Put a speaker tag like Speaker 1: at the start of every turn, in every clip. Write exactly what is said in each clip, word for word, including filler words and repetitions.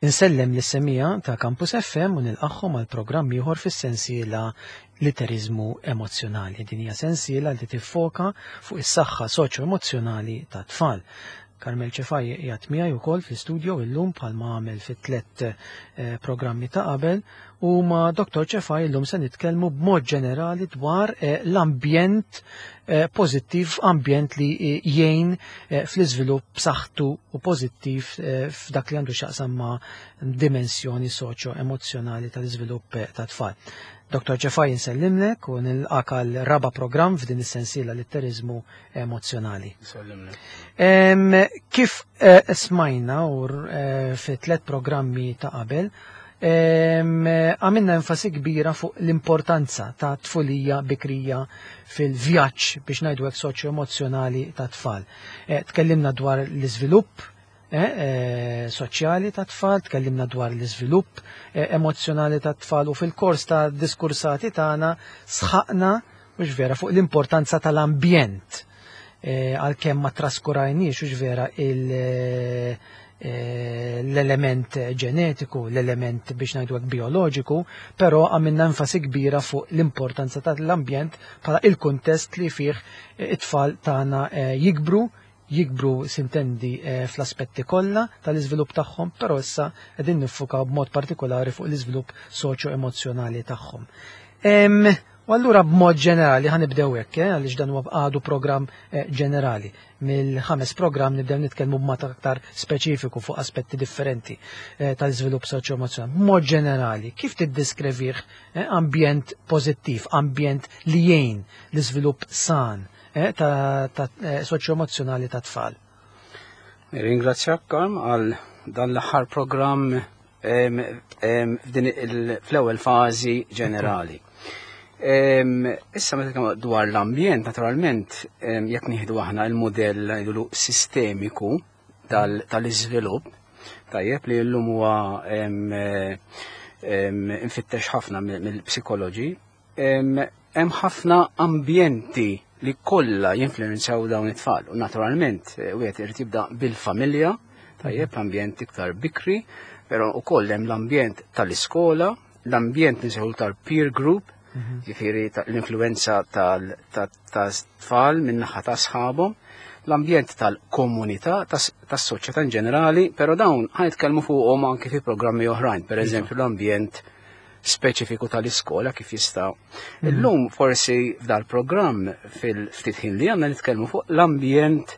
Speaker 1: Insellem lis-semija ta' Campus F M u nilqagħhom għal programm ieħor fis-sensiela Litteriżmu Emozzjonali. Din hija sensiela li tiffoka fuq is-saħħa soċjo-emozzjonali tat-tfal. Carmel Cefai qiegħed miegħi wkoll fl-istudio illum bħalma għamel fit-tliet, eh, programmi ta' qabel, u ma' Doktor Cefai illum se nitkellmu b'mod ġenerali dwar, eh, l-ambjent, eh, pożittiv, ambjent li, eh, jgħin, eh, fl-iżvilupp b'saħħtu u pożittiv, eh, f'dak li għandu x'jaqsam ma' dimensjoni soċjo-emozzjonali tal-iżvilupp, eh, tat-tfal. Doktor Cefai, nsellimlek u nilqak għal raba' programm f'din is-sensiela Litteriżmu Emozzjonali.
Speaker 2: Nsellimlek.
Speaker 1: Em, kif, eh, smajna u, eh, fi tliet programmi ta' qabel, em, għamilna enfasi kbira fuq l-importanza ta' tfulija bikrija fil-vjaġġ biex ngħidu hekk soċjo-emozzjonali ta' tfal. Eh, tkellimna dwar l-iżvilupp, eh, eh, soċjali ta' tfal, tkellimna dwar l-iżvilupp, eh, emozzjonali ta' tfal, u fil-kors ta' diskursati tagħna sħaqna mhux vera fuq l-importanza tal-ambjent. Eh, għalkemm ma traskurajniex mhux vera il-, eh, l-element ġenetiku, l-element biex ngħidu hekk bioloġiku, però għamilna enfasi kbira fuq l-importanza tal-ambjent bħala il-kuntest li fih it-tfal tagħna, eh, jikbru, jikbru sintendi, eh, fl-aspetti kollha tal-iżvilupp tagħhom, però issa qegħdin niffukaw b'mod partikolari fuq l-iżvilupp soċjo-emozzjonali tagħhom. Em, u allura b'mod ġenerali ħanibdew hekk, eh, għaliex dan huwa għadu programm, eh, ġenerali. Mill-ħames programm nibdew nitkellmu b'mod aktar speċifiku fuq aspetti differenti, eh, tal-iżvilupp soċjo-emozzjonali. B'mod ġenerali, kif tiddeskrivih, eh, ambjent pożittiv, ambjent li jgħin l-iżvilupp san, eh, ta', ta', eh, soċjo-emozzjonali ta' tfal?
Speaker 2: Ringrazzjak, Karm, għal dan l-aħħar programm, em, em, f'din il-, fl-ewwel fażi ġenerali. Em, issa meta nitkellmu dwar l-ambjent, naturalment, em, jekk nieħdu aħna l-mudell ngħidulu sistemiku tal-, tal-iżvilupp, tajjeb li llum huwa, em, em, infittex ħafna mill-, mill-psikoloġi, em, hemm ħafna ambjenti li kollha jinfluwenzaw dawn it-tfal. U naturalment, eh, wieħed irid jibda bil-familja, tajjeb, l-ambjent iktar bikri, però wkoll hemm l-ambjent tal-iskola, l-ambjent nsejħu tal-peer group,
Speaker 1: Mhm.
Speaker 2: ġifieri ta-, l-influenza tal-, ta-, ta' tfal min-naħa ta' sħabhom, l-ambjent tal-komunità, tas-, tas-soċjetà in ġenerali, però dawn ħanitkellmu fuqhom anke fi programmi oħrajn, per
Speaker 1: Iva.
Speaker 2: eżempju l-ambjent speċifiku tal-iskola kif jista'.
Speaker 1: Mhm.
Speaker 2: Illum forsi f'dal-programm fil-ftit ħin li għandna nitkellmu fuq l-ambjent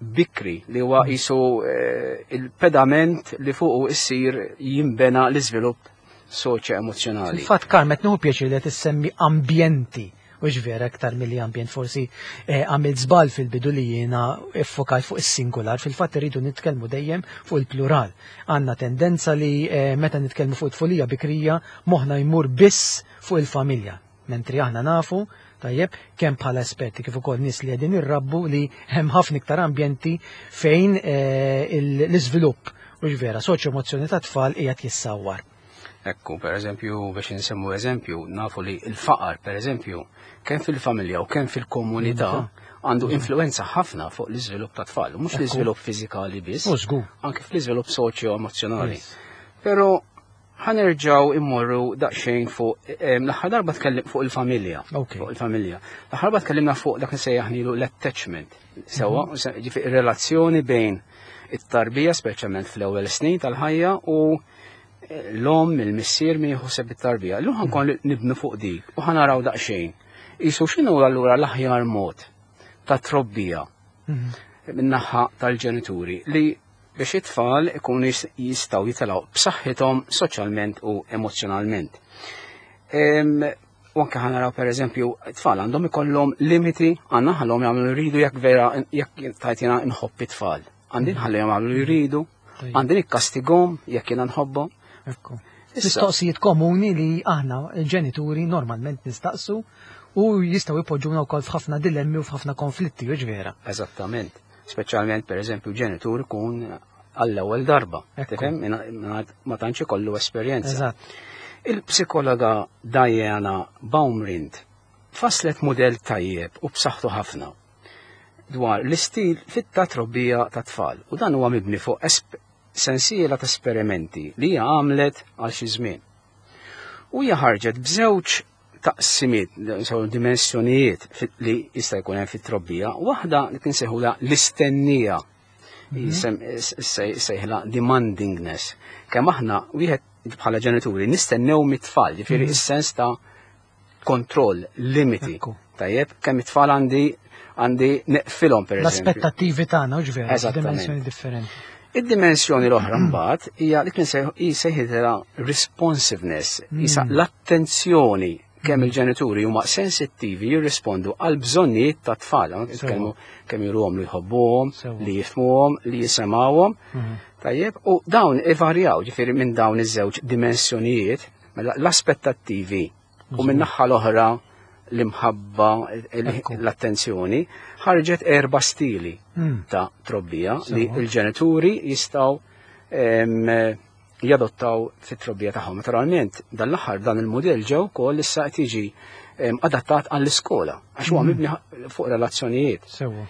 Speaker 2: bikri li huwa
Speaker 1: Mhm.
Speaker 2: qisu, eh, il-pedament li fuqu issir jinbena l-iżvilupp soċjo-emozzjonali.
Speaker 1: Fil-fatt, Carm, qed nieħu pjaċir li qed issemmi ambjenti, u vera aktar milli ambjent, forsi, eh, għamilt żball fil-bidu li jiena iffokajt fuq is-singular, fil-fatt irridu nitkellmu dejjem fuq il-plural. Għandna tendenza li, eh, meta nitkellmu fuq tfulija bikrija moħħna jmur biss fuq il-familja, mentri aħna nafu tajjeb kemm bħala esperti kif ukoll nies li qegħdin irrabbu li hemm ħafna iktar ambjenti fejn, eh, il-, l-iżvilupp u vera soċjo-emozzjoni ta' tfal qiegħed jissawwar.
Speaker 2: Ekku, per eżempju, biex nsemmu eżempju, nafu li l-faqar, per eżempju, kemm fil-familja u kemm fil-komunità
Speaker 1: Iva.
Speaker 2: għandu
Speaker 1: Iva.
Speaker 2: influenza ħafna fuq l-iżvilupp ta' tfal, mhux
Speaker 1: Ekku.
Speaker 2: l-iżvilupp fiżikali biss,
Speaker 1: U żgur.
Speaker 2: anke fl-iżvilupp soċjo-emozzjonali.
Speaker 1: Yes.
Speaker 2: Però ħanerġgħu immorru daqsxejn fuq, em, l-aħħar darba tkellim fuq il-familja.
Speaker 1: Ok.
Speaker 2: Fuq il-familja. L-aħħar darba tkellimna fuq dak li sejjaħnilu l-attachment. Sewwa,
Speaker 1: Mhm.
Speaker 2: se-, ġifieri relazzjoni bejn it-tarbija, speċjalment fl-ewwel snin tal-ħajja, u l-om, il-missier min jieħu it-tarbija. Illum ħankun nibnu fuq dik u ħanaraw daqsxejn. Isu x'inhu allura l-aħjar mod ta' trobbija
Speaker 1: Mhm.
Speaker 2: min-naħa tal-ġenituri li biex it-tfal ikunu jis-, jistgħu jitilgħu b'saħħithom soċjalment u emozjonalment. Em, u anke ħanaraw per eżempju, it-tfal għandhom ikollhom limiti, għandna ħallhom jagħmlu li jridu jekk vera jekk tajt jiena nħobb it-tfal. Għandi nħallihom jagħmlu li jridu,
Speaker 1: Tajjeb.
Speaker 2: għandi nikkastigom jekk jiena nħobbhom.
Speaker 1: Ekku. Mistoqsijiet komuni li aħna il-ġenituri normalment nistaqsu u jistgħu jpoġġuna wkoll f'ħafna dilemmi u f'ħafna konflitti, u vera.
Speaker 2: Eżattament. Speċjalment pereżempju ġenitur ikun għall-ewwel darba. Tifhem? Ma tantx ikollu esperjenza.
Speaker 1: Eżatt.
Speaker 2: Il-psikologa Diana Baumrind faslet mudell tajjeb u b'saħħtu ħafna dwar l-istil fit trobbija ta' tfal u dan huwa mibni fuq sensiela ta' esperimenti li hija għamlet għal xi żmien. U hija ħarġet b'żewġ taqsimiet, sew dimensjonijiet li jista' jkun hemm fit-trobbija, waħda li tinsejħulha l-istennija, sejħla demandingness. Kemm aħna wieħed bħala ġenituri nistennew mit-tfal, ġifieri is-sens ta' kontroll, limiti. Tajjeb, kemm it-tfal għandi għandi neqfilhom pereżempju.
Speaker 1: L-aspettattivi tagħna, u ġvera, dimensjoni differenti.
Speaker 2: Id-dimensjoni l-oħra mbagħad hija li kien sejħilha responsiveness, isa l-attenzjoni kemm il-ġenituri huma sensittivi jirrispondu għal bżonnijiet ta' tfal, nitkellmu kemm juruhom li jħobbuhom, li jifhmuhom, li jisimgħuhom. Tajjeb, u dawn ivarjaw ġifieri minn dawn iż-żewġ dimensjonijiet, mela l-aspettattivi u minn naħa l-oħra l-imħabba, l-attenzjoni, ħarġet erba' stili ta' trobbija li l-ġenituri jistgħu jadottaw fit-trobbija tagħhom. Naturalment, dan l-aħħar dan il-mudell ġew ukoll issa qed jiġi adattat għall-iskola għax huwa mibni fuq relazzjonijiet.
Speaker 1: Sewwa.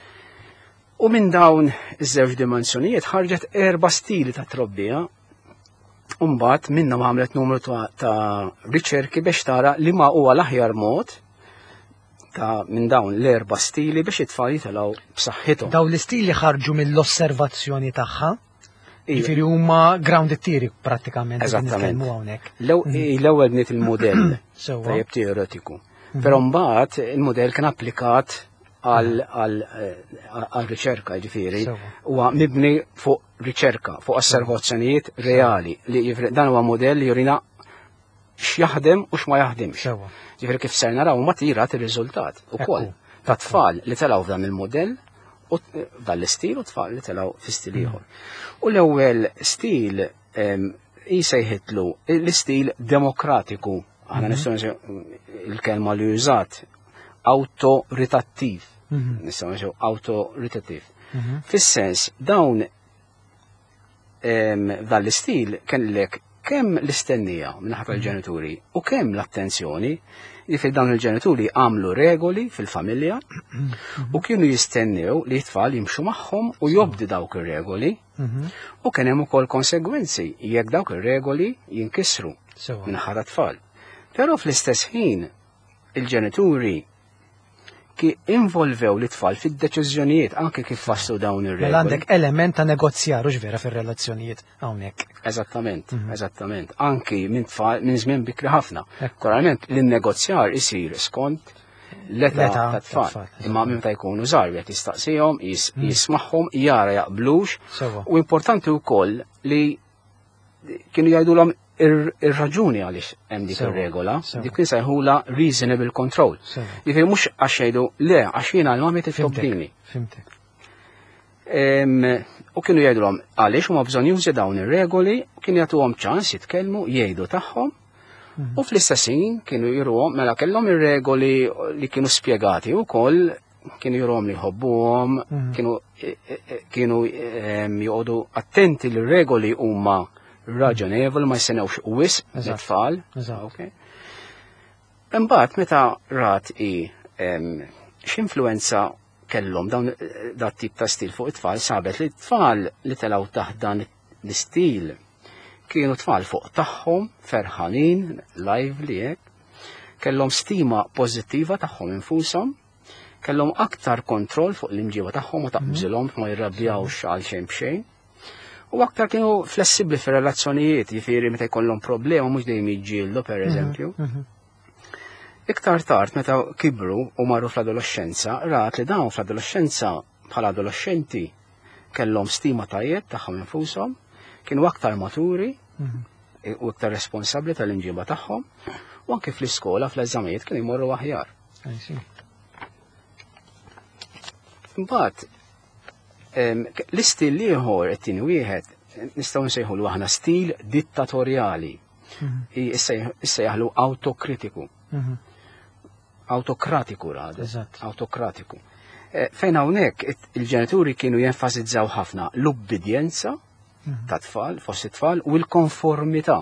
Speaker 2: U minn dawn iż-żewġ dimensjonijiet ħarġet erba' stili ta' trobbija. U mbagħad minnhom għamlet numru ta', ta riċerki biex tara li ma huwa l-aħjar mod ta' minn dawn l-erba' stili biex it-tfal jitilgħu b'saħħithom.
Speaker 1: Dawn l-istili ħarġu mill-osservazzjoni tagħha. Jiġifieri huma grounded theory prattikament.
Speaker 2: Eżattament.
Speaker 1: Hawnhekk.
Speaker 2: L-ewwel bniet il-mudell tajjeb teoretiku. Però mbagħad il-mudell kien applikat għal riċerka, ġifieri, huwa mibni fuq riċerka, fuq osservazzjonijiet reali li dan huwa mudell li jurina x'jaħdem u x'ma jaħdimx. Ġifieri kif ser naraw ma tirat ir-riżultat ukoll ta' tfal li telgħu f'dan il-mudell u f'dan l-istil u tfal li telgħu fi stil ieħor. U l-ewwel stil jisejħitlu l-istil demokratiku, aħna nistgħu il-kelma li użat awtoritattiv. Nistgħu ngħidu awtoritattiv. Fis-sens dawn f'dan l-istil kellek kemm l-istennija minnaħa tal-ġenituri u kemm l-attenzjoni, jiġifieri dawn il-ġenituri għamlu regoli fil-familja u kienu jistennew li t-tfal jimxu magħhom u jobdi dawk ir-regoli u kien hemm ukoll konsegwenzi jekk dawk ir-regoli jinkisru minnaħa tat-tfal. Però fl-istess ħin il-ġenituri ki involvew l-tfal fid-deċiżjonijiet anke kif fassu dawn ir-regoli.
Speaker 1: Mela għandek element ta' negozjar u vera fir-relazzjonijiet hawnhekk.
Speaker 2: Eżattament, eżattament. Anki minn tfal minn żmien bikri ħafna. Naturalment l-negozjar isir skont l-età tat-tfal. Imma minn meta jkunu żgħar wieħed jistaqsihom, jismagħhom, jara jaqblux. U importanti wkoll li kienu jgħidulhom ir-raġuni għaliex hemm dik ir-regola, dik kien sejħula reasonable control. Jiġifieri mhux għax jgħidu le għax jiena l-mami titobdini.
Speaker 1: Fimtek.
Speaker 2: U kienu jgħidulhom għaliex huma bżonn jużi dawn ir-regoli, kienu jagħtuhom ċans jitkellmu, jgħidu tagħhom, u fl-istess ħin kienu juruhom mela kellhom ir-regoli li kienu spjegati wkoll kienu juruhom li jħobbuhom, kienu kienu joqogħdu attenti li r-regoli huma raġonevoli, ma jsenewx wisq mit-tfal. Imbagħad meta rat i x'influenza kellhom dawn dat tip ta' stil fuq it-tfal, sabet li t-tfal li telgħu taħt dan l-istil kienu tfal fuq tagħhom, ferħanin, lively hekk, kellhom stima pożittiva tagħhom infushom, kellhom aktar kontroll fuq l-imġiba tagħhom u taqbżilhom ma jirrabjawx għal xejn b'xejn. U aktar kienu flessibbli fir-relazzjonijiet, jiġifieri meta jkollhom problema mhux dejjem jiġġieldu pereżempju. Iktar tard meta kibru u marru fl-adolescenza, rat li dawn fl-adolescenza bħala adolescenti kellhom stima tajjeb tagħhom infushom, kienu aktar maturi u aktar responsabbli tal-imġiba tagħhom, u anke fl-iskola fl-eżamijiet kienu jmorru aħjar. Imbagħad l-istil ieħor it-tieni wieħed nistgħu nsejħulu aħna stil dittatorjali. Issa jaħlu autokritiku. Autokratiku rad. Autokratiku. Fejn hawnhekk il-ġenituri kienu jenfasizzaw ħafna l-ubbidjenza ta' tfal, fost it-tfal, u l-konformità.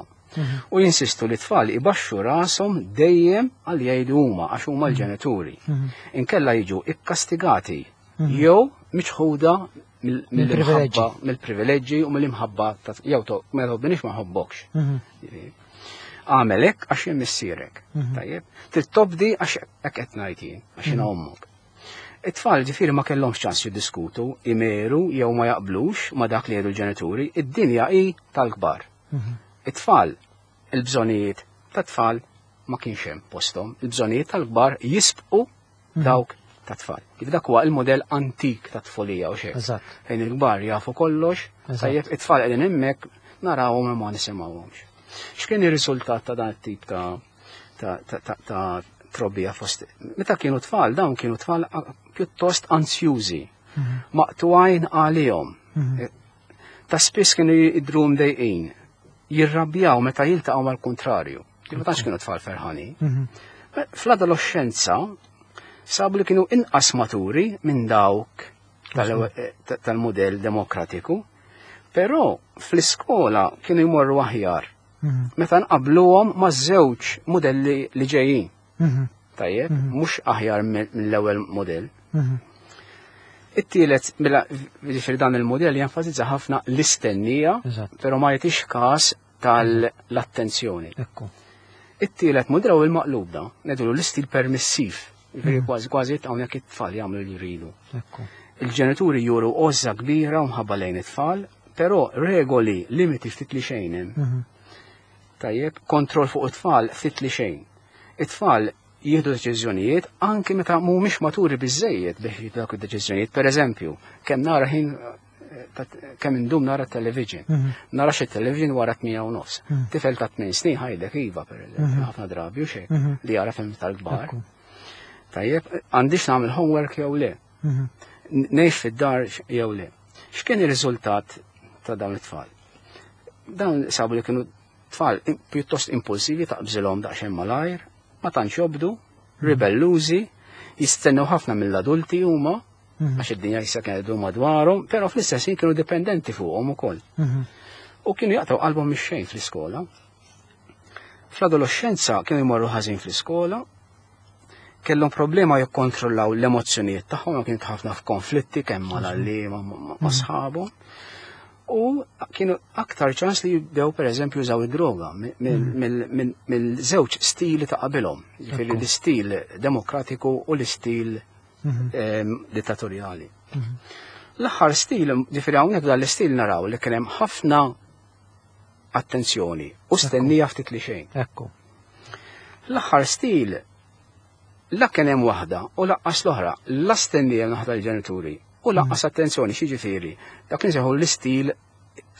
Speaker 2: U jinsistu li tfal ibaxxu rashom dejjem għal jgħidu huma għax huma l-ġenituri. Inkella jiġu ikkastigati jew miċħuda mill-imħabba, mill-privileġġi u mill-imħabba jew ma tħobbinix ma ħobbokx. Għamel hekk għax jien missierek. Tajjeb, trid tobdi għax hekk qed ngħid jien, għax jiena ommok. It-tfal ġifieri ma kellhomx ċans jiddiskutu, imeru jew ma jaqblux ma dak li jgħidu l-ġenituri, id-dinja hi tal-kbar. It-tfal, il-bżonijiet ta' tfal ma kienx hemm posthom, il-bżonijiet tal-kbar jisbqu dawk ta' tfal. Kif dak huwa il-modell antik ta' tfulija u xejn. Fejn il-kbar jafu kollox, tajjeb it-tfal qegħdin hemmhekk narawhom ma nisimgħuhomx. X'kien ir-riżultat ta' dan it-tip ta' ta' trobbija fost? Meta kienu tfal, dawn kienu tfal pjuttost ansjużi, maqtugħin għalihom. Ta' spiss kienu jidhru mdejqin, jirrabjaw meta jiltaqgħu mal-kontrarju. Ma tantx kienu tfal ferħanin. Fl-adolescenza sabu li kienu inqas maturi minn dawk tal-modell demokratiku, però fl-iskola kienu jmorru aħjar. Meta nqabluhom ma' żewġ modelli li ġejjin. Tajjeb, mhux aħjar mill-ewwel modell. It-tielet, mela ġifieri dan il-modell jenfasizza ħafna l-istennija, però ma jagħtix każ tal-attenzjoni. It-tielet modell huwa il-maqlub da, ngħidulu l-istil permissiv. Ġifieri kważi kważi hawnhekk it-tfal jagħmlu li jridu. Il-ġenituri juru għożża kbira u mħabba lejn it-tfal, però regoli, limiti ftit li xejn hemm. Tajjeb, kontroll fuq it-tfal ftit li xejn. It-tfal jieħdu deċiżjonijiet anki meta mhumiex maturi biżejjed biex jieħdu dawk id-deċiżjonijiet. Per eżempju, kemm nara ħin kemm indum nara television. Narax it-television wara tmija u nofs. Tifel ta' tmien snin ħajdek iva, per eżempju, ħafna drabi u xejn li jara film tal-kbar. Tajjeb, għandix nagħmel homework jew le. Ngħix fid-dar jew le. X'kien ir-riżultat ta' dawn it-tfal? Dawn sabu li kienu tfal pjuttost impulsivi, taqbżilhom daqsxejn malajr, ma tantx jobdu, ribellużi, jistennew ħafna mill-adulti huma, għax id-dinja issa kienet iddur madwarhom, però fl-istess ħin kienu dipendenti fuqhom ukoll. U kienu jaqtgħu qalbhom mix-xejn fl-iskola. Fl-adolescenza kienu jmorru ħażin fl-iskola, kellhom problema jikkontrollaw l-emozzjonijiet tagħhom, kienu ħafna f'konflitti kemm mal-għalliema ma' sħabhom. U kienu aktar ċans li jibdew per eżempju jużaw id-droga mill-żewġ stili ta' qabilhom, ġifieri l-istil demokratiku u l-istil dittatorjali. L-aħħar stil, ġifieri hawnhekk dan l-istil naraw li kien hemm ħafna attenzjoni u stennija ftit li xejn.
Speaker 1: Ekku.
Speaker 2: L-aħħar stil la kien hemm waħda u laqqas l-oħra, la stennija naħda l-ġenituri u laqqas attenzjoni, x'jiġifieri dak li nsejħu l-istil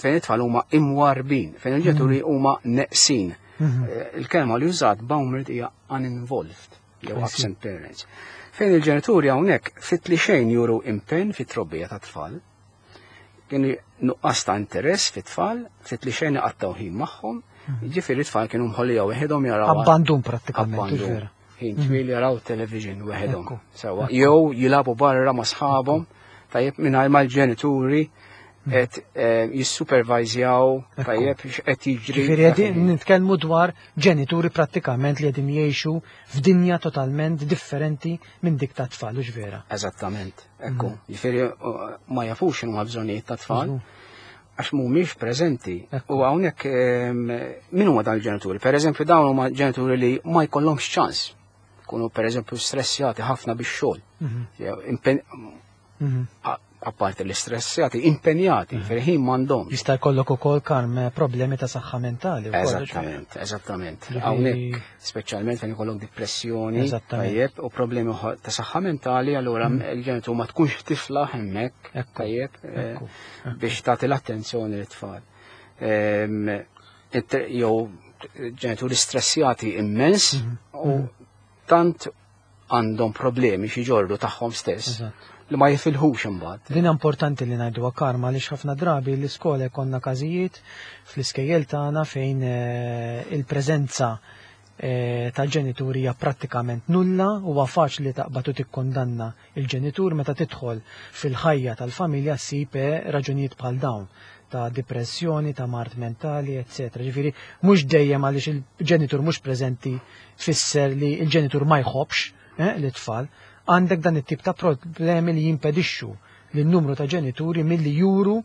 Speaker 2: fejn it-tfal huma imwarbin, fejn il-ġenituri huma neqsin. Il-kelma li użat Baumert hija uninvolved jew absent parents. Fejn il-ġenituri hawnhekk fit li xejn juru impenn fit-trobbija ta' tfal, kienu nuqqas ta' interess fit-tfal, fit li xejn iqattgħu ħin magħhom, jiġifieri t-tfal kienu mħollija weħidhom jaraw.
Speaker 1: Abbandun prattikament.
Speaker 2: Ħin twil jaraw television weħidhom. Sewa, jew jilagħbu barra ma' sħabhom, tajjeb mingħajr mal-ġenituri qed jissupervizjaw, tajjeb x'qed jiġri.
Speaker 1: Ġifieri qegħdin nitkellmu dwar ġenituri prattikament li qegħdin jgħixu f'dinja totalment differenti minn dik ta' tfal, hux vera?
Speaker 2: Eżattament, ekku. Ġifieri ma jafux x'inhuma bżonnijiet ta' tfal għax mhumiex preżenti. U hawnhekk min huma dawn il-ġenituri? Per eżempju dawn huma ġenituri li ma jkollhomx ċans. Kunu per eżempju stressjati ħafna bix-xogħol. Apparti l-istressjati, impenjati, fil-ħin m'għandhomx.
Speaker 1: Jista' jkollok ukoll karm problemi ta' saħħa mentali wkoll.
Speaker 2: Eżattament, eżattament. Hawnhekk speċjalment fejn ikollok depressjoni, tajjeb, u problemi ta' saħħa mentali, allura il-ġenitur ma tkunx tifla hemmhekk, tajjeb, biex tagħti l-attenzjoni lit-tfal. Jew ġenituri stressjati immens u tant għandhom problemi xi ġorru tagħhom stess. li ma jifilħux imbagħad.
Speaker 1: Din importanti li ngħidu Karma għaliex ħafna drabi l-iskola jkollna każijiet fl-iskejjel tagħna fejn il-preżenza tal-ġenituri hija prattikament nulla, huwa faċli taqbad u tikkondanna il-ġenitur meta tidħol fil-ħajja tal-familja ssib raġunijiet bħal dawn ta' depressjoni, ta' mard mentali, eċċetera. Ġifieri mhux dejjem għaliex il-ġenitur mhux preżenti tfisser li l-ġenitur ma jħobbx l-itfal. Għandek dan it-tip ta' problemi li jimpedixxu lin-numru ta' ġenituri milli juru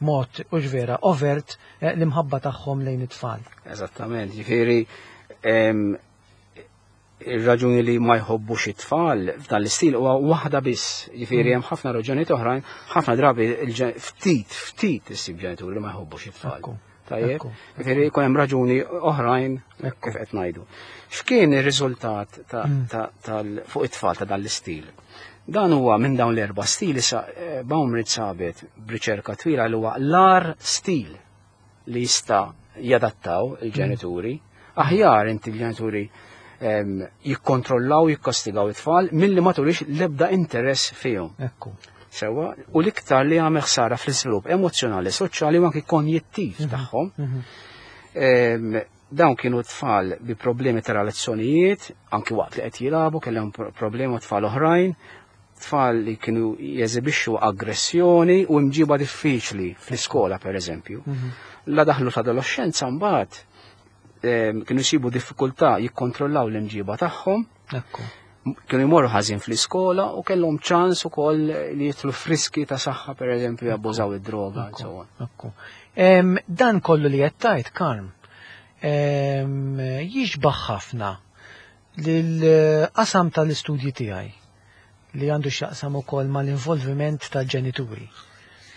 Speaker 1: mod u vera overt l-imħabba tagħhom lejn it-tfal.
Speaker 2: Eżattament, ġifieri ir-raġuni li ma jħobbux it-tfal f'dan l-istil huwa waħda biss. Ġifieri hemm ħafna raġunijiet oħrajn, ħafna drabi ftit ftit issib ġenituri li ma jħobbux it-tfal. Tajjeb, ġifieri jkun hemm raġuni oħrajn kif qed ngħidu. X'kien ir-riżultat fuq it-tfal ta' dan l-istil? Dan huwa minn dawn l-erba' stili Baumrind sabet b'riċerka twila li huwa l-ar stil li jista' jadattaw il-ġenituri. Aħjar inti l-ġenituri jikkontrollaw, jikkastigaw it-tfal milli ma turix l-ebda interess fihom.
Speaker 1: Ekku.
Speaker 2: Sewa, u l-iktar li għamel ħsara fl-iżvilupp emozjonali, soċjali u anki konjittiv tagħhom. Dawn kienu tfal bi problemi ta' relazzjonijiet, anki waqt li qed jilagħbu, kellhom problemi tfal oħrajn, tfal li kienu jeżibixxu aggressjoni u imġiba diffiċli fl-iskola pereżempju. La daħlu ta' adolescenza mbagħad kienu jsibu diffikultà jikkontrollaw l-imġiba tagħhom. Kienu jmorru ħażin fl-iskola u kellhom ċans ukoll li jitlu friski ta' saħħa pereżempju jabbużaw id-droga and so on.
Speaker 1: Dan kollu li qed tgħid, Karm, jixbaħ ħafna lill-qasam tal-istudji tiegħi li għandu x'jaqsam ukoll mal-involviment tal-ġenituri.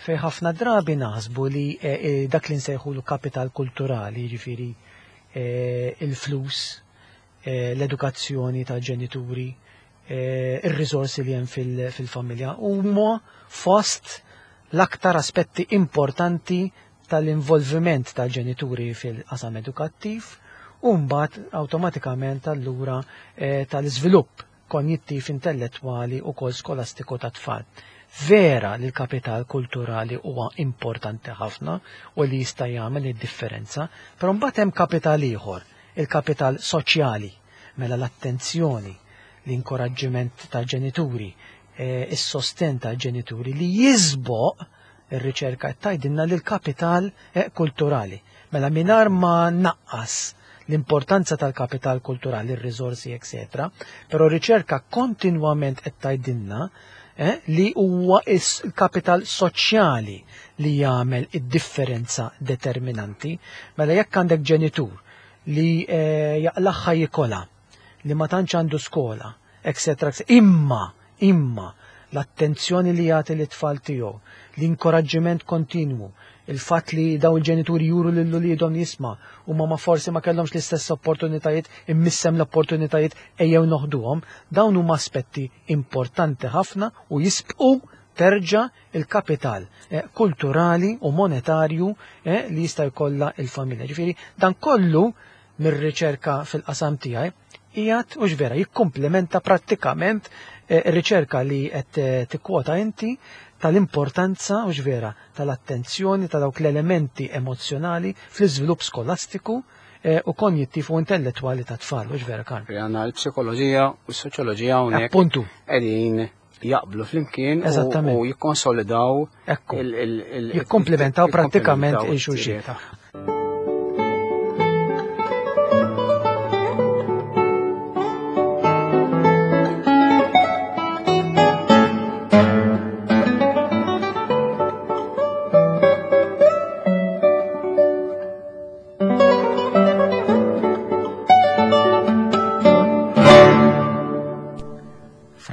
Speaker 1: Fej ħafna drabi naħsbu li dak li nsejħulu kapital kulturali, jiġifieri il-flus, l-edukazzjoni tal-ġenituri, ir-riżorsi li hemm fil-familja huma fost l-aktar aspetti importanti tal-involviment tal-ġenituri fil-qasam edukattiv u mbagħad awtomatikament allura tal-iżvilupp konjittiv intellettwali u kol skolastiku ta' tfal. Vera li l-kapital kulturali huwa importanti ħafna u li jista' jagħmel id-differenza, però mbagħad hemm kapital ieħor, il-kapital soċjali, mela l-attenzjoni, l-inkoraġġiment tal-ġenituri, is-sosten tal-ġenituri li jisboq ir-riċerka qed tgħidilna li l-kapital kulturali. Mela mingħajr ma naqqas l-importanza tal-kapital kulturali, ir-riżorsi, eċetera, però r-riċerka kontinwament qed tgħidilna li huwa il-kapital soċjali li jagħmel id-differenza determinanti. Mela jekk għandek ġenitur li jaqlaħħa jikola, li ma tantx għandu skola, eċetera, imma imma l-attenzjoni li jagħti lit-tfal tiegħu, l-inkoraġġiment kontinwu, il-fatt li daw il-ġenituri juru lil uliedhom jisma' u ma forsi ma kellhomx l-istess opportunitajiet, immissem l-opportunitajiet ejjew noħduhom, dawn huma aspetti importanti ħafna u jisbqu terġa' il-kapital kulturali u monetarju li jista' jkollha il-familja. Ġifieri dan kollu mir-riċerka fil-qasam tiegħi qiegħed u vera jikkumplementa prattikament ir-riċerka li qed tikkwota inti tal-importanza u vera tal-attenzjoni ta' dawk l-elementi emozjonali fl-iżvilupp skolastiku u konjittiv u intellettwali ta' tfal, u vera Karm.
Speaker 2: Għandna l-psikoloġija u s-soċjoloġija hawnhekk.
Speaker 1: Appuntu.
Speaker 2: Qegħdin jaqblu flimkien u jikkonsolidaw,
Speaker 1: jikkomplementaw prattikament il-xulxin.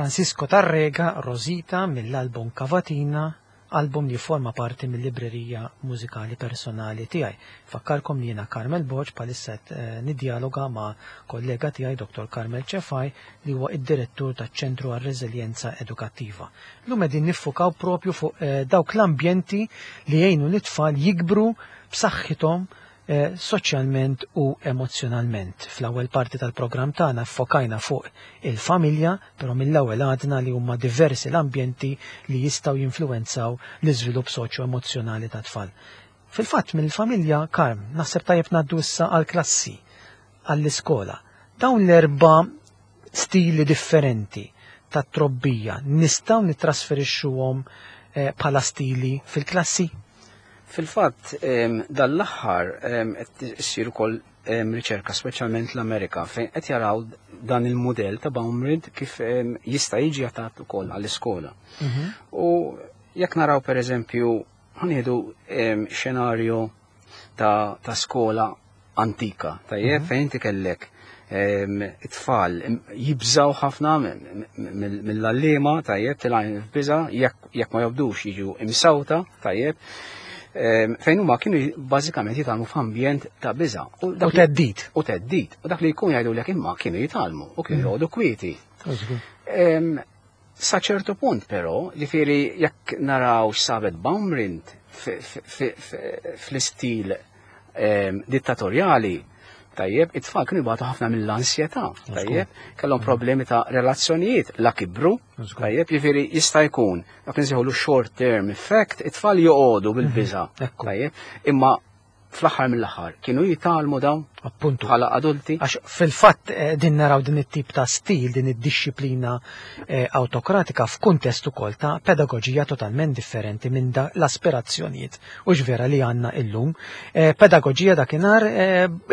Speaker 1: Francisco Tarrega, Rosita, mill-album Cavatina, album li forma parti mill-librerija mużikali personali tiegħi. Fakkarkom li jiena Carmel Borg bħalissa niddialoga ma' kollega tiegħi Doktor Carmel Cefai li huwa id-direttur taċ-Ċentru għar-Reżiljenza Edukattiva. Llum qegħdin niffukaw propju fuq dawk l-ambjenti li jgħinu l-itfal jikbru b'saħħithom eh, soċjalment u emozjonalment. Fl-ewwel parti tal-programm tagħna ffokajna fuq il-familja, però mill-ewwel għadna li huma diversi l-ambjenti li jistgħu jinfluwenzaw l-iżvilupp soċjo-emozzjonali tat-tfal. Fil-fatt mill-familja, Karm, naħseb tajjeb ngħaddu issa għall-klassi, għall-iskola. Dawn l-erba' stili differenti ta' trobbija nistgħu nittrasferixxuhom eh, bħala stili fil-klassi?
Speaker 2: Fil-fatt, dal-aħħar qed issir ukoll riċerka, speċjalment l-Amerika, fejn qed jaraw dan il-mudell ta' Baumrind kif jista' jiġi adattat ukoll għall-iskola. Mhm. U jekk naraw, pereżempju, ħa nieħdu xenarju ta', ta skola antika, tajjeb, mhm. fejn inti kellek it-tfal jibżaw ħafna mill-għalliema, tajjeb, telgħin f'biża, jekk ma jobdux jiġu imsawta, tajjeb, fejn huma kienu bażikament jitgħallmu f'ambjent ta' biża.
Speaker 1: U theddid.
Speaker 2: U theddid. U dak li jkun jgħidu lek imma kienu jitgħallmu u kienu mm. joqogħdu kwieti. Sa ċertu punt però, ġifieri jekk naraw x'sabet Baumrind fl-istil dittatorjali, tajjeb, it-tfal kienu jbatu ħafna mill-ansjetà, tajjeb, kellhom problemi ta' relazzjonijiet la kibru, tajjeb, jiġifieri jista' jkun dak nsejħulu short term effect, it-tfal joqogħdu bil-biża, mhm, tajjeb, imma fl-aħħar mill-aħħar kienu jitgħallmu dawn?
Speaker 1: Appuntu.
Speaker 2: Bħala adulti?
Speaker 1: Għax fil-fatt eh, din naraw din it-tip ta' stil, din id-dixxiplina eh, awtokratika f'kuntest ukoll ta' pedagoġija totalment differenti minn da l-aspirazzjonijiet u vera li għandna illum. Eh, pedagoġija dakinhar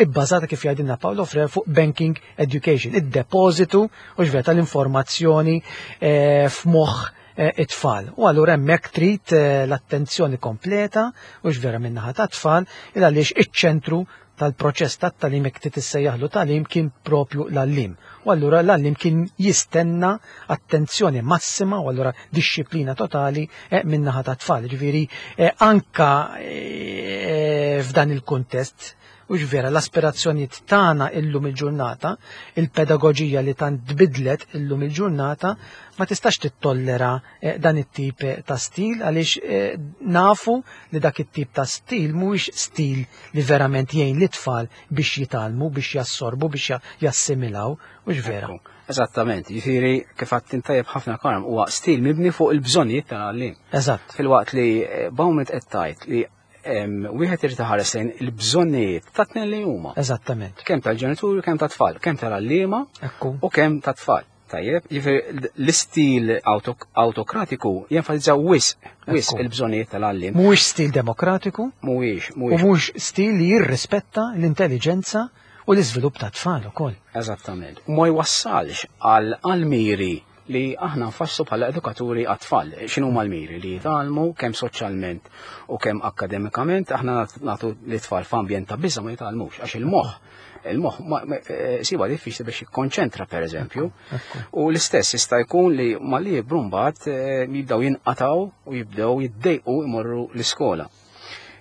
Speaker 1: ibbażata, kif jgħidilna Paolo Freire, fuq banking education, id-depożitu u vera tal-informazzjoni f'moħħ it-tfal. U allura hemmhekk trid l-attenzjoni kompleta u vera min-naħa ta' tfal, il għaliex iċ-ċentru tal-proċess tat-tagħlim, jekk tissejjaħlu tagħlim, kien propju l-għalliem. U allura l-għalliem kien jistenna attenzjoni massima u allura dixxiplina totali eh, min-naħa ta' tfal. Ġifieri eh, anka eh, f'dan il-kuntest u vera l-aspirazzjonijiet tagħna illum il-ġurnata, il-pedagoġija li tant tbidlet illum il-ġurnata ma tistax tittollera eh, dan it-tip ta' stil, għaliex eh, nafu li dak it-tip ta' stil mhuwiex stil li verament jgħin lit-tfal biex jitgħallmu, biex jassorbu, biex jassimilaw, u vera.
Speaker 2: Eżattament, jiġifieri kif għedt tajjeb ħafna, Karm, huwa stil mibni fuq il-bżonnijiet tal-għalliem.
Speaker 1: Eżatt.
Speaker 2: Filwaqt li eh, Baumrind qed tgħid li wieħed irid iħares lejn il-bżonnijiet ta' tnejn li huma.
Speaker 1: Eżattament.
Speaker 2: Kemm tal-ġenituri, kemm tat-tfal, kemm tal-għalliema u kemm tat-tfal. Tajjeb, jiġifieri l-istil autokratiku jenfasizza wisq, wisq il-bżonnijiet tal-għalliem.
Speaker 1: Mhuwiex stil demokratiku.
Speaker 2: Mhuwiex,
Speaker 1: U mhuwiex stil li jirrispetta l-intelligenza u l-iżvilupp ta' tfal ukoll.
Speaker 2: Eżattament. U ma jwassalx għal miri li aħna nfasslu bħala edukaturi għat-tfal. X'inhu l-miri? Li jitgħallmu kemm soċjalment u kemm akademikament. Aħna nagħtu l-tfal f'ambjent ta' biża, ma jitgħallmux, għax il-moħħ il-moħħ eh, siba diffiċli biex jikkonċentra, per eżempju. U l-istess jista' jkun li malli jikbru mbagħad eh, jibdew jinqataw u jibdew jiddejqu imorru l-iskola.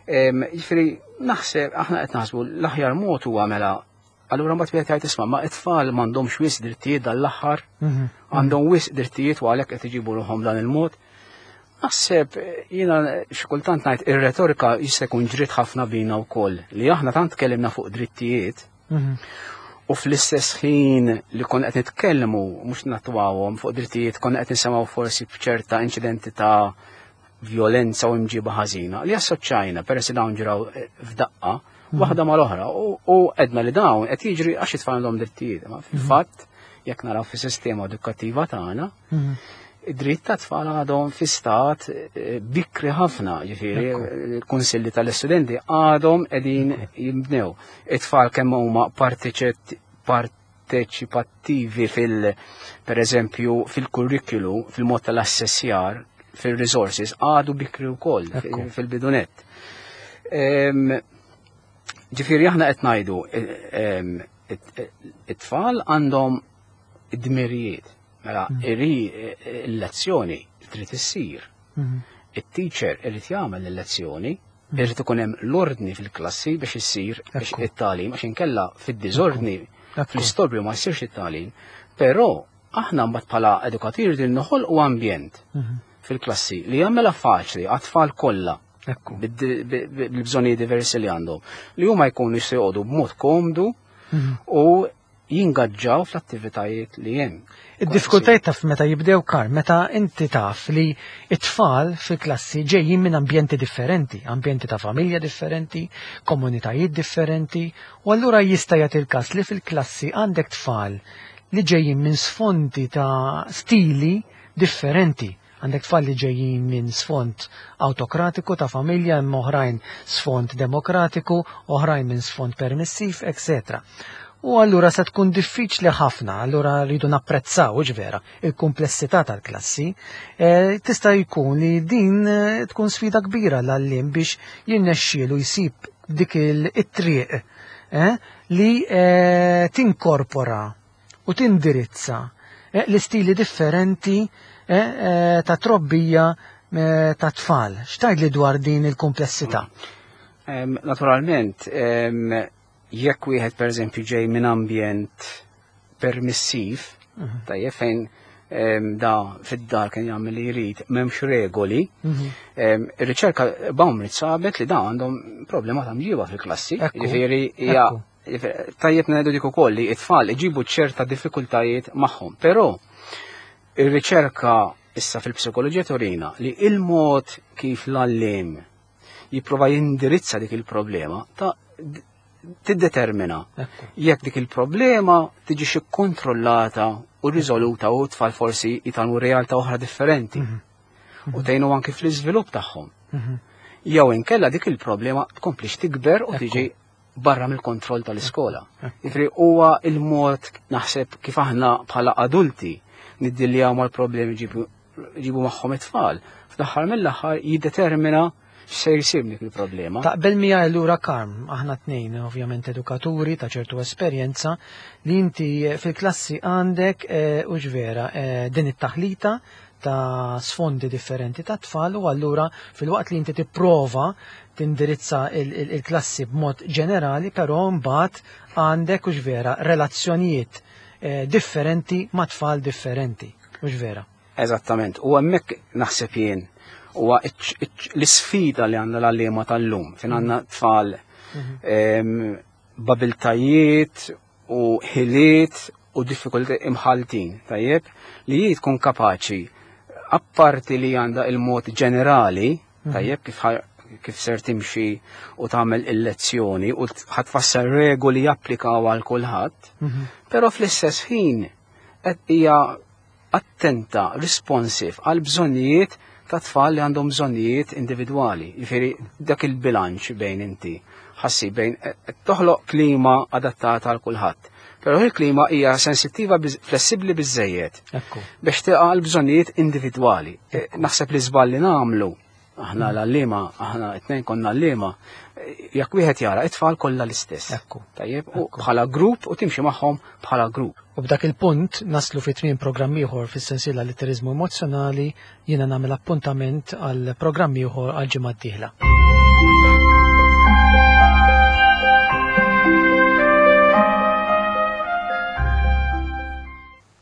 Speaker 2: Jiġifieri naħseb aħna qed naħsbu l-aħjar mod huwa mela allura mbagħad wieħed jgħid, "Isma', ma it-tfal m'għandhomx wisq drittijiet dal-aħħar, mhm. għandhom wisq drittijiet u għalhekk qed iġibu ruħhom dan il-mod." Naħseb jiena xi kultant ngħid ir-retorika jista' jkun ġrid ħafna bina wkoll, li aħna tant tkellimna fuq drittijiet mhm. u fl-istess ħin li konna qed nitkellmu, mhux natwawhom, fuq drittijiet, konna qed nisimgħu forsi b'ċerta inċidenti ta' violenza u imġiba ħażina li assoċjajna, peress li dawn ġraw eh, f'daqqa mhm. waħda mal-oħra, u għedna li dawn qed jiġri għax it-tfal għandhom drittijiet. Ma fil-fatt, jekk naraw fis-sistema edukattiva tagħna, mhm. id-dritt ta' tfal għadhom fi stat eh, bikri ħafna, ġifieri il-kunsilli tal-istudenti għadhom qegħdin jimbnew. It-tfal kemm huma parteċipattivi fil per eżempju fil-kurrikulu, fil-mod tal-assessjar, fil-resources, għadu bikri wkoll fil-bidu nett. Ġifieri aħna qed ngħidu it-tfal għandhom id-dmirijiet. Mela, mm. iri il-lezzjoni trid issir. Mm-hmm. Il-teacher irid jagħmel il-lezzjoni, mm. irid ikun hemm l-ordni fil-klassi biex issir biex it-tagħlim, għax inkella fid-diżordni, fl-istorbju ma jsirx it-tagħlim. Però aħna mbagħad bħala edukaturi din noħolqu ambjent mm-hmm. fil-klassi li jagħmilha faċli għat-tfal kollha.
Speaker 1: Ekku.
Speaker 2: Bil-bżonnijiet diversi li għandhom. Li huma jkunu jistgħu joqogħdu b'mod komdu
Speaker 1: Mhm.
Speaker 2: u jingaġġaw fl-attivitajiet li hemm.
Speaker 1: Id-diffikultajiet taf meta jibdew kar, meta inti taf li it-tfal fil-klassi ġejjin minn ambjenti differenti, ambjenti ta' familja differenti, komunitajiet differenti, u allura jista' jagħti l-każ li fil-klassi għandek tfal li ġejjin minn sfondi ta' stili differenti. Għandek tfal li ġejjin minn sfond autokratiku ta' familja, imma oħrajn sfond demokratiku, oħrajn minn sfond permissiv, eccetera. U allura se tkun diffiċli ħafna, allura rridu napprezzaw, vera, il-komplessità tal-klassi. E, tista' jkun li din eh, tkun sfida kbira l-għalliem biex jirnexxielu jsib dik il-triq eh, li eh, tinkorpora u tindirizza eh, l-istili differenti eh, eh, ta' trobbija eh, ta' tfal. X'tgħid li dwar din il-komplessità?
Speaker 2: Em, Naturalment, em, jekk wieħed pereżempju ġej minn ambjent permissiv, tajjeb fejn em, da fid-dar kien jagħmel li jrid, m'hemmx regoli,
Speaker 1: Mhm.
Speaker 2: em, ir-riċerka Baumrind sabet li da għandhom problema ta' mġiba fil-klassi.
Speaker 1: Ekku,
Speaker 2: Jiġifieri hija
Speaker 1: ekku.
Speaker 2: jiġifieri, tajjeb ngħidu dik ukoll li it-tfal iġibu ċerta diffikultajiet magħhom, però ir-riċerka issa fil-psikoloġija turina li il-mod kif l-għalliem jipprova jindirizza dik il-problema ta' d- tiddetermina
Speaker 1: Ekku.
Speaker 2: jekk dik il-problema tiġi kontrollata u riżoluta u tfal forsi jitgħallmu realtà oħra differenti u tgħinu anki fl-iżvilupp tagħhom.
Speaker 1: Mhm.
Speaker 2: Jew inkella dik il-problema tkomplix tikber u
Speaker 1: Ekku.
Speaker 2: tiġi barra mill-kontroll tal-iskola. Jiġifieri huwa il-mod naħseb kif aħna bħala adulti niddiljaw mal-problemi ġibu ġibu magħhom it-tfal. Fl-aħħar mill-aħħar jiddetermina x'se jsir dik il-problema.
Speaker 1: Taqbel miegħi allura Karm, aħna tnejn ovvjament edukaturi ta' ċertu esperjenza li inti fil-klassi għandek eh, u vera eh, din it-taħlita ta' sfondi differenti ta' tfal u allura filwaqt li inti tipprova tindirizza il- il- il-klassi b'mod ġenerali, però mbagħad għandek u vera relazzjonijiet eh, differenti ma' tfal differenti. U vera.
Speaker 2: Eżattament. U hemmhekk naħseb jien huwa iċ- iċ- l-isfida li għandna l-għalliema tal-lum, fejn għandna tfal em, b'abiltajiet u ħiliet u diffikulti imħaltin, tajjeb, li hi tkun kapaċi, apparti li għandha il-mod ġenerali, tajjeb, kif ħa- kif ser timxi u tagħmel il-lezzjoni u ħa tfassal regoli japplikaw għal kulħadd, però fl-istess ħin qed hija attenta, responsive għal bżonnijiet ta' tfal li għandhom bżonnijiet individwali. Jiġifieri dak il-bilanċ bejn inti ħassi bejn qed toħloq klima adattata għal kulħadd. Però il-klima hija sensittiva, biz- flessibbli biżejjed
Speaker 1: Ekku.
Speaker 2: biex tilqa' għal bżonnijiet individwali. Eh, Naħseb li żball li nagħmlu aħna l-għalliema, aħna it-tnejn konna għalliema, eh, jekk wieħed jara it-tfal kollha l-istess.
Speaker 1: Ekku.
Speaker 2: Tajjeb, u bħala grupp u timxi magħhom bħala grupp.
Speaker 1: U b'dak il-punt naslu fi tmiem programm ieħor fis-sensiela Litteriżmu Emozzjonali, jiena nagħmel appuntament għal programm ieħor għal ġimgħa d-dieħla.